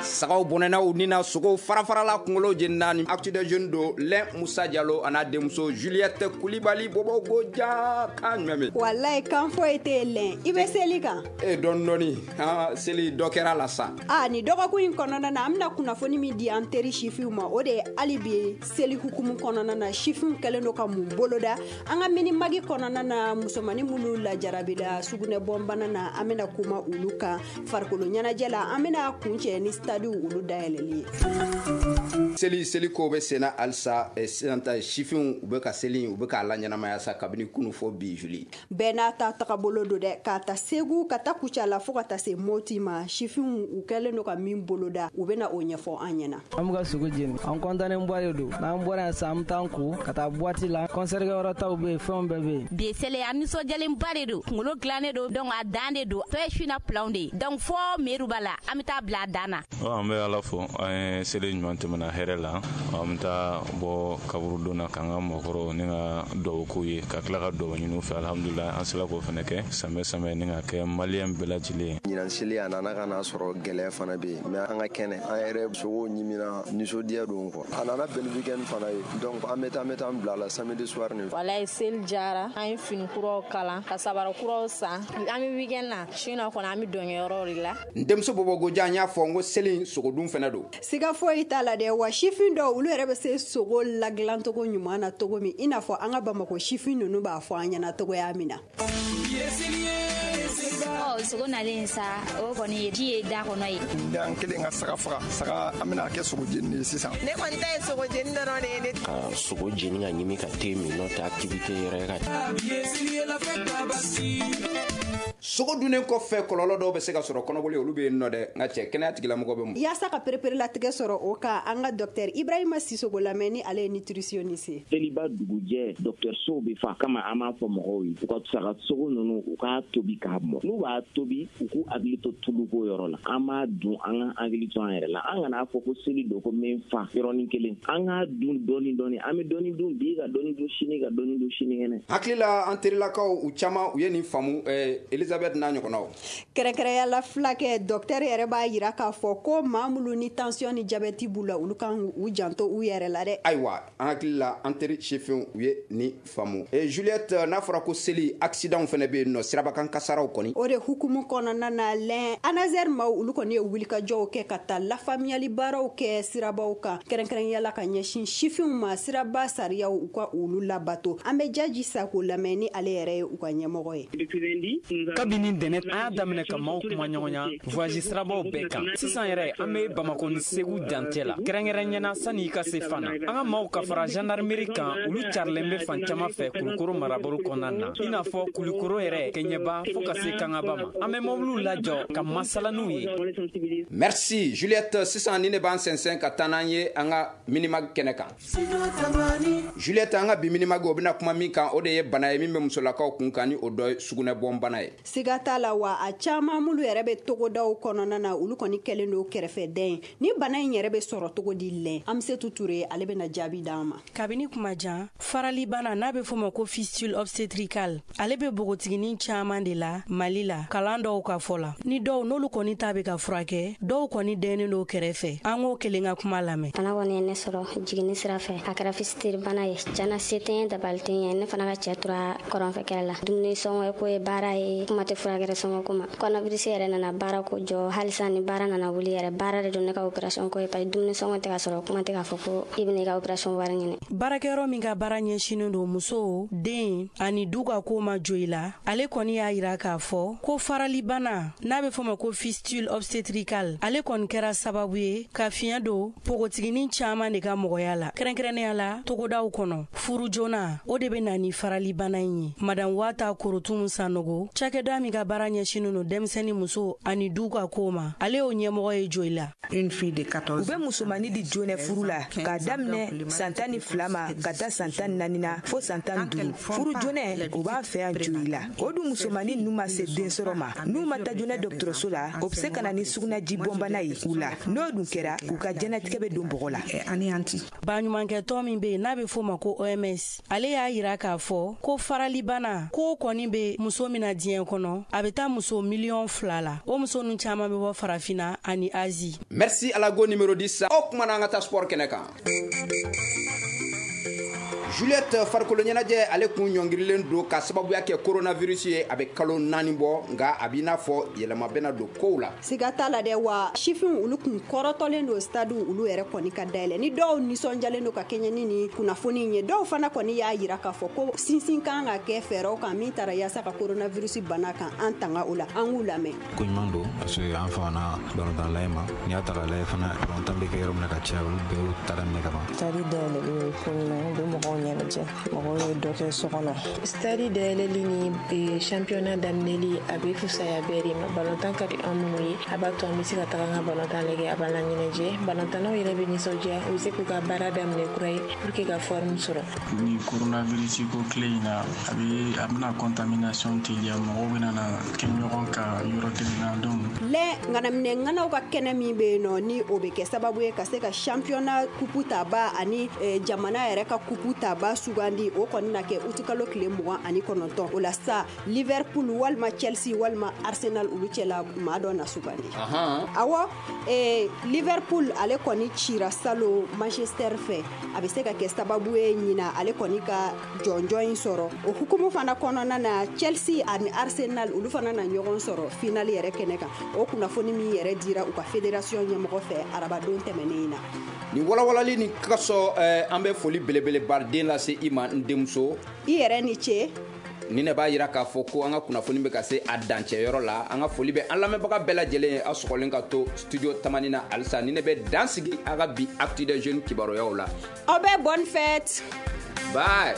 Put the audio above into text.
Sagaw bɔnɛna u ni na, sogow fara-farala, kunkolo jenina. Ni Actu des Jeunes don. Lɛn Musa Jalo a n'a denmuso Juliette Kulibali Bobo ja kan jumɛn bɛ? Walayi, kan foyi tɛ lɛn. I bɛ seli kan? E, dɔɔni dɔɔni. Han, seli dɔ kɛra la sa. A ni dɔgɔkun in kɔnɔna na, an bɛna kunnafoni min di an teri sifinw ma, o de ye hali bi seli hukumu kɔnɔna na, sifinw kɛlen don ka mun boloda. An ka Minimag kɔnɔna na, musomani minnu lajarabila sugunɛ bɔnbana na, an bɛna kuma olu kan. Farikolo ɲɛnajɛ la, an bɛna kuncɛ ni stade olu dayɛlɛli ye. Seli ko bɛ senna halisa. Sisan ta, sifinw, u bɛ ka seli, u bɛ k'a la ɲɛnamaya sa kabini kunu fɔ bi, Juli. Bɛɛ n'a ta tagabolo don dɛ, k'a ta Segu ka taa Kucala fo ka taa se Moti ma. Sifinw, u kɛlen don ka min boloda, u bɛna o ɲɛfɔ an ɲɛna. An bɛ ka sogo jeni, an kɔntannen ba de don. N'an bɔra yan sisan, an bɛ taa an ko ka taa boîte la. Concert kɛyɔrɔ taw bɛ yen, fɛnw bɛɛ bɛ yen. Bi seli, an nisɔndiyalenba de don. Kunkolo dilannen don, donc a dan de don. Tɔ ye sina pilanw de ye, donc fɔ meruba la, an bɛ taa bila a dan na. An bɛ Ala fo, an ye seli ɲuman tɛmɛna hɛrɛ la. An bɛ taa bɔ kaburudon na k'an ka mɔgɔkɔrɔw ni ka duwawu k'u ye, ka tila ka duwawu ɲini u fɛ. Alhamdulilayi, an sera k'o fana kɛ sanbɛ sanbɛ ni ka kɛ Malien bɛɛ lajɛlen ye. Ɲinan seli, a nana ka n'a sɔrɔ gɛlɛya fana bɛ yen, mais an ka kɛnɛ, an yɛrɛ sogow ɲimina, nisɔndiya don quoi. A nana bɛn ni weekend fana ye, donc an bɛ taa an bila la samedi soir ni. Walayi, seli jara. An ye fini kuraw kalan, ka sabara kuraw san. An bɛ weekend na su na kɔnɔ, an bɛ dɔnkɛyɔrɔw de la. N denmuso Bɔbɔgojan, n y'a fɔ n ko seli, sogodun fɛnɛ don. Siga foyi t'a la dɛ. Wa sifin dɔw, olu yɛrɛ bɛ se sogo ladilancogo ɲuman na cogo min, i n'a fɔ an ka Bamakɔ sifin ninnu b'a fɔ an ɲɛna cogoya min na. Ɔ, sogo nalen sa, o kɔni ye ji ye da kɔnɔ ye. An kelen ka saga faga, saga, an bɛna kɛ sogo jeni de ye sisan. Ne kɔni ta ye sogo jeni dɔrɔn de ye ne. Ka sogo jeni ka ɲimi ka te min, n'o tɛ activité yɛrɛ ka. Sogo dunnen kɔfɛ, kɔlɔlɔ dɔw bɛ se ka sɔrɔ, kɔnɔboli, olu bɛ yen nɔ dɛ. N ka cɛ, kɛnɛya tigilamɔgɔ bɛ mun? Yaasa ka pereperelatigɛ sɔrɔ o kan, an ka docteur Ibrahima Sisogo lamɛn, ni ale ye nutritionniste ye. Seliba dugujɛ, dɔgɔtɔrɔsow bɛ fa kama. An b'a fɔ mɔgɔw ye, u ka saga sogo ninnu, u k'a tobi k'a mɔ. N'u b'a tobi, u k'u hakili to tuluko yɔrɔ la. An b'a dun, an ka hakili to an yɛrɛ la. An kana fɔ ko seli don ko min fa yɔrɔnin kelen. An k'a dun dɔɔni dɔɔni. An bɛ dɔɔni dun bi, ka dɔɔni dun sini, ka dɔɔni dun sinikɛnɛ. Hakili la, an terilakaw, u caman u ye nin faamu, Elizabeth n'a ɲɔgɔnnaw. Kɛrɛnkɛrɛnya la, filakɛ docteur yɛrɛ b'a yira k'a fɔ ko maa minnu ni tension ni diabète b'u la, olu kan u janto u yɛrɛ la dɛ. Ayiwa, an hakili la, an teri sifinw, u ye nin faamu. Juliette, n'a fɔra ko seli, accident fɛnɛ bɛ yen nɔ, sirabakan kasaraw kɔni. O de hukumu kɔnɔna na lɛn, ANASER maaw, olu kɔni ye wulikajɔw kɛ ka taa lafaamuyali baaraw kɛ sirabaw kan, kɛrɛnkɛrɛnya la ka ɲɛsin sifinw ma, siraba sariyaw, u ka olu labato. An bɛ Jaji Sako lamɛn, ni ale yɛrɛ ye u ka ɲɛmɔgɔ ye. Kabini dɛnɛ, an y'a daminɛ ka maaw kuma ɲɔgɔnya voyage sirabaw bɛɛ kan. Sisan yɛrɛ, an be Bamako ni Segu dancɛ la, kɛrɛnkɛrɛn ɲɛna sanni i ka se Fana. An ka maaw ka fara gendarmerie kan, olu carilen be fan caaman fɛ Kulukoro marabolo kɔnɔna na, i n'a fɔ Kulukoro yɛrɛ, Kɛɲɛba, fɔɔ ka se Kangaba ma. An be mobiliw lajɔ ka masala n'u ye. Merci Juliette. Sisan ni ne b'an sɛnsɛn ka taa n'an ye an ka Minimag kɛnɛ kan. Juliette, an ka bi Minimag, o bɛna kuma min kan, o de ye bana ye min bɛ musolakaw kun kan, ni o dɔ ye sugunɛbɔn bana ye. Siga t'a la. Wa a caman minnu yɛrɛ bɛ togodaw kɔnɔna na, olu kɔni kɛlen don kɛrɛfɛdɛn ye. Ni bana in yɛrɛ bɛ sɔrɔ cogo di lɛn? An Ture, ale bɛna jaabi d'an ma. Kabini kuma jan, faralibana n'a bɛ fɔ ma ko fistule obstétricale, ale bɛ npogotiginin caman de la Mali la. Kalan dɔw ka fɔ la, ni dɔw n'olu kɔni ta bɛ ka furakɛ, dɔw kɔni dɛnnen don kɛrɛfɛ. An k'o kelen ka kuma lamɛn. Bana kɔni ye ne sɔrɔ jiginni sira fɛ. A kɛra fistule bana ye. Cana, se tɛ n ye, dabali tɛ n ye. Ne fana ka cɛɛ tora kɔrɔnfɛ kɛlɛ la. Dumuni sɔngɔ ko ye baara ye, kuma tɛ furakɛrɛ sɔngɔ ko ma. Coronavirus yɛrɛ nana baara ko jɔ. Halisa ni baara nana wuli yɛrɛ, baara de don ne ka opération ko ye, parce que dumuni sɔngɔ tɛ ka sɔrɔ, kuma tɛ k'a fɔ ko i bɛna i ka opération wari ɲini. Baarakɛyɔrɔ min ka baara ɲɛsinin don muso, den ani du ka ko ma jo i la, ale kɔni y'a yira k'a fɔ ko faralibana n'a bɛ fɔ ma ko fistule obstétricale, ale kɔni kɛra sababu ye ka fiɲɛ don npogotiginin caman de ka mɔgɔya la, kɛrɛnkɛrɛnnenya la togodaw kɔnɔ. Furu joona, o de bɛ na ni faralibana in ye. Madame Wata Korotumu Sanogo, cakɛda min ka baara ɲɛsinin don denmisɛnnin, muso ani du ka ko ma, ale y'o ɲɛmɔgɔ ye Joyila. U bɛ musomani di joonɛ furu la k'a daminɛ san 12 ma ka taa san 14 na fo san 15. Furu joonɛ, o b'an fɛ yan Joyila. O dun musomani ninnu ma se densɔrɔ ma, n'u ma taa joona dɔgɔtɔrɔso la, o bɛ se ka na ni sugunɛji bɔnbana ye u la. N'o dun kɛra, u ka diɲɛnatigɛ bɛ don bɔgɔ la. Baɲumankɛtɔn min bɛ yen n'a bɛ f'o ma ko OMS, ale y'a yira k'a fɔ ko faralibana ko kɔni bɛ muso min na diɲɛ. diɲɛ kɔnɔ, a bɛ taa muso miliyɔn 2 la. O muso ninnu caman bɛ bɔ Farafinna ani Asie. Merci Alago numéro 10. O kuma na, an ka taa sport kɛnɛ kan. Juliette, farikolo ɲɛnajɛ, ale kun ɲɔngirilen don ka sababuya kɛ coronavirus ye, a bɛ kalo 4 bɔ, nka a b'i n'a fɔ yɛlɛma bɛna don kow la. Siga t'a la dɛ. Wa sifinw, olu kun kɔrɔtɔlen don stade olu yɛrɛ kɔni ka dayɛlɛ. Ni dɔw nisɔndiyalen don ka kɛɲɛ ni nin kunnafoni ye, dɔw fana kɔni y'a yira k'a fɔ ko sinsin kan ka kɛ fɛɛrɛw kan min taara yaasa ka coronavirus bana kan an tanga o la. An k'u lamɛn. Ko ɲuman don, parce que an famana balontan layɛ ma. N'i y'a ta k'a lajɛ fana, balontan bɛ kɛ yɔrɔ min na ka caya, olu bɛɛ y'u ta daminɛ ka ban. Stade dayɛlɛli ye ko ɲuman ye, u bɛ mɔgɔw ɲɛnajɛ, mɔgɔw ye dɔ kɛ so kɔnɔ. Stade dayɛlɛli ni championnat daminɛli, a bɛ fisaya bɛɛ de ma. Balontan ka di an minnu ye, a b'a to an bɛ se ka taga an ka balontan lajɛ, a b'an laɲɛnajɛ. Balontannaw yɛrɛ bɛ nisɔndiya, u bɛ se k'u ka baara daminɛ kura ye pour que ka forme sɔrɔ. Ni coronavirus ko tile in na, a bɛ a bɛna contamination teliya, mɔgɔw bɛna na kɛ ɲɔgɔn kan yɔrɔ kelen na, donc. Lɛ ŋanaminɛ ŋanaw ka kɛnɛ min bɛ yen nɔ, ni o bɛ kɛ sababu ye ka se ka championnat kupu taba ani jamana yɛrɛ ka kupu taba sugandi, o kɔni na kɛ utikalo tile 29. O la sa, Liverpool walima Chelsea walima Arsenal, olu cɛla maa dɔ na sugandi. Awɔ, Liverpool, ale kɔni cira salo Manchester fɛ. A bɛ se ka kɛ sababu ye ɲina ale kɔni ka jɔnjɔn in sɔrɔ. O hukumu fana kɔnɔna na, Chelsea ani Arsenal, olu fana na ɲɔgɔn sɔrɔ finale yɛrɛ kɛnɛ kan. O kunnafoni min yɛrɛ dira u ka fédération ɲɛmɔgɔ fɛ arabadon tɛmɛnen in na. Nin walawalali nin kasɔ, an bɛ foli belebeleba den lase i ma, n denmuso. I yɛrɛ ni ce. Ni ne b'a yira k'a fɔ ko an ka kunnafoni bɛ ka se a dancɛyɔrɔ la. An ka foli bɛ an lamɛnbaga bɛɛ lajɛlen ye, aw sɔgɔlen ka to studio Tamani na halisa. Ni ne bɛ dan sigi a ka bi Actu des Jeunes kibaruyaw la. Aw bɛ bonne fête. Bye.